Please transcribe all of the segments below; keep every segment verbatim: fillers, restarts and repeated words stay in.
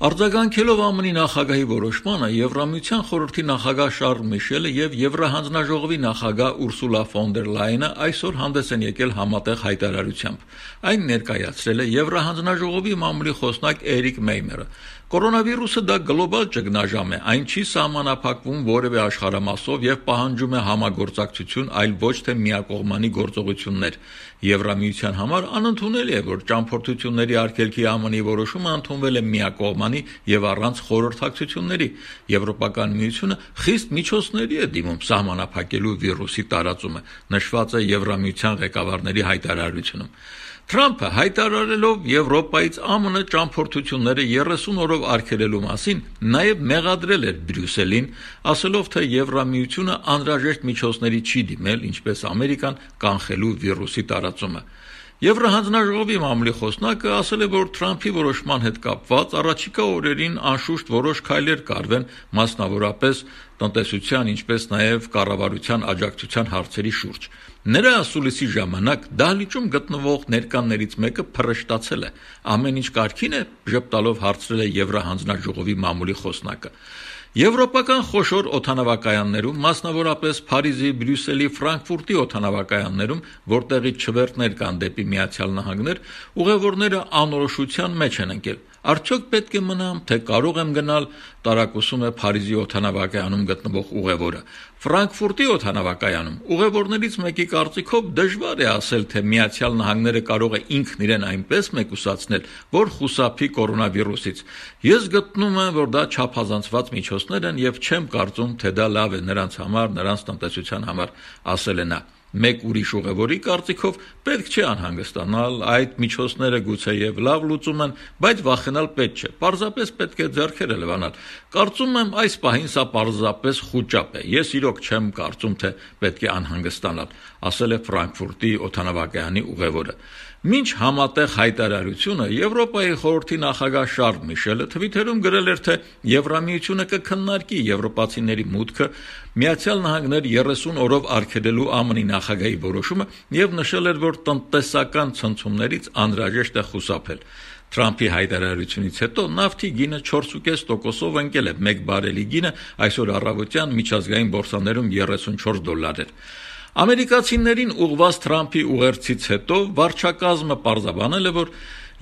Արձագանքելով ԱՄՆ-ի նախագահի որոշմանը, Եվրամիության խորհրդի նախագահ Շարլ Միշելը եւ Եվրահանձնաժողովի նախագահ Ուրսուլա ֆոն դեր Լայենը այսօր հանդես են եկել համատեղ հայտարարությամբ։ Այն ներկայացրել է Եվրահանձնաժողովի մամուլի խոսնակ Էրիկ Մեյմերը։ Կորոնավիրուսը դա գլոբալ ճգնաժամ է, այն չի սահմանափակվում որևէ աշխարհամասով եւ պահանջում է համագործակցություն, այլ ոչ թե միակողմանի գործողություններ։ Եվրամիության համար անընդունելի է, որ ճամփորդությունների արգելքի ԱՄՆ-ի որոշումը ընդունվել է միակողմանի եւ առանց խորհրդակցությունների։ Եվրոպական միությունը խիստ միջոցների է դիմում սահմանափակելու վիրուսի տարածումը, նշված է Եվրամիության ղեկավարների հայտարարությունում։ Թրամփը հայտարարելով Եվրոպայից ԱՄՆ ճամփորդությունները երեսուն օրով արգելելու մասին նաև մեղադրել էր Բրյուսելին, ասելով, թե Եվրամիությունը անհրաժեշտ միջոցների չի դիմել, ինչպես Ամերիկան, կանխելու վիրուսի տարածումը։ Եվրահանձնաժողովի մամուլի խոսնակը ասել է, որ Թրամփի որոշման հետ կապված առաջիկա օրերին անշուշտ որոշ քայլեր կարվեն, մասնավորապես տնտեսության, ինչպես նաև կառավարության աջակցության հարցերի շուրջ։ Նրա ասուլիսի ժամանակ դահլիճում գտնվող ներկաներից մեկը փռշտացել է։ Ամեն ինչ կարգին է, ժպտալով հարցրել է Եվրահանձնաժողովի մամուլի խոսնակը։ Եվրոպական խոշոր օդանավակայաններում, մասնավորապես Փարիզի, Բրյուսելի, Ֆրանկֆուրտի օդանավակայաններում, որտեղից չվերթներ կան դեպի Միացյալ Նահանգներ, ուղևորները անորոշության մեջ են ընկել։ Արդյոք պետք է մնամ, թե կարող եմ գնալ, տարակուսում է Փարիզի օդանավակայանում գտնվող ուղևորը։ Ֆրանկֆուրտի օդանավակայանում ուղևորներից մեկի կարծիքով դժվար է ասել, թե Միացյալ Նահանգները կարող է ինքն իրեն այնպես մեկուսացնել, որ խուսափի կորոնավիրուսից։ Ես գտնում եմ, որ դա չափազանցված միջոցներ են եւ չեմ կարծում, թե դա լավ է նրանց համար, նրանց տնտեսության համար, ասել է նա։ Մեկ ուրիշ ուղևորի կարծիքով պետք չէ անհանգստանալ, այդ միջոցները գուցեև լավ լուծում են, բայց վախենալ պետք չէ, պարզապես պետք է ձեռքերը լվանալ։ Կարծում եմ այս պահին սա պարզապես խուճապ է, ես իրոք չեմ կարծում, թե պետք է անհանգստանալ, ասել է Ֆրանկֆուրտի օդանավակայանի ուղևորը։ Մինչ համատեղ հայտարարությունը Եվրոպայի խորհրդի նախագահ Շարլ Միշելը Թվիթերում գրել էր, թե Եվրամիությունը կքննարկի եվրոպացիների մուտքը Միացյալ Նահանգներ երեսուն օրով արգելելու ԱՄՆ-ի նախագահի որոշումը եւ նշել էր, որ տնտեսական ցնցումներից անհրաժեշտ է խուսափել։ Թրամփի հայտարարությունից հետո նավթի գինը չորս փոքր կես տոկոսով ընկել է, մեկ բարելի գինը այսօր առավոտյան միջազգային բորսաներում երեսունչորս դոլար էր։ Ամերիկացիներին ուղղված Թրամփի ուղերձից հետո վարչակազմը պարզաբանել է, որ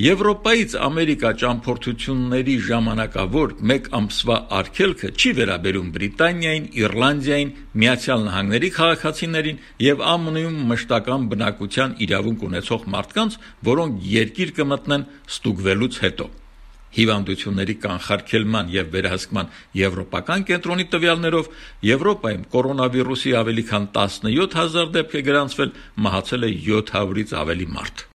Եվրոպայից Ամերիկա ճամփորդությունների ժամանակավոր մեկ ամսվա արգելքը չի վերաբերում Բրիտանիային, Իռլանդիային, Միացյալ Նահանգների քաղաքացիներին եւ ԱՄՆ-ում մշտական բնակության իրավունք ունեցող մարդկանց, որոնք երկիր կմտնեն ստուգվելուց հետո։ Հիվանդությունների կանխարգելման եւ վերահսկման եվրոպական կենտրոնի տվյալներով Եվրոպայում կորոնավիրուսի ավելի քան տասնյոթ հազար դեպք է գրանցվել, մահացել է յոթ հարյուրից ավելի մարդ։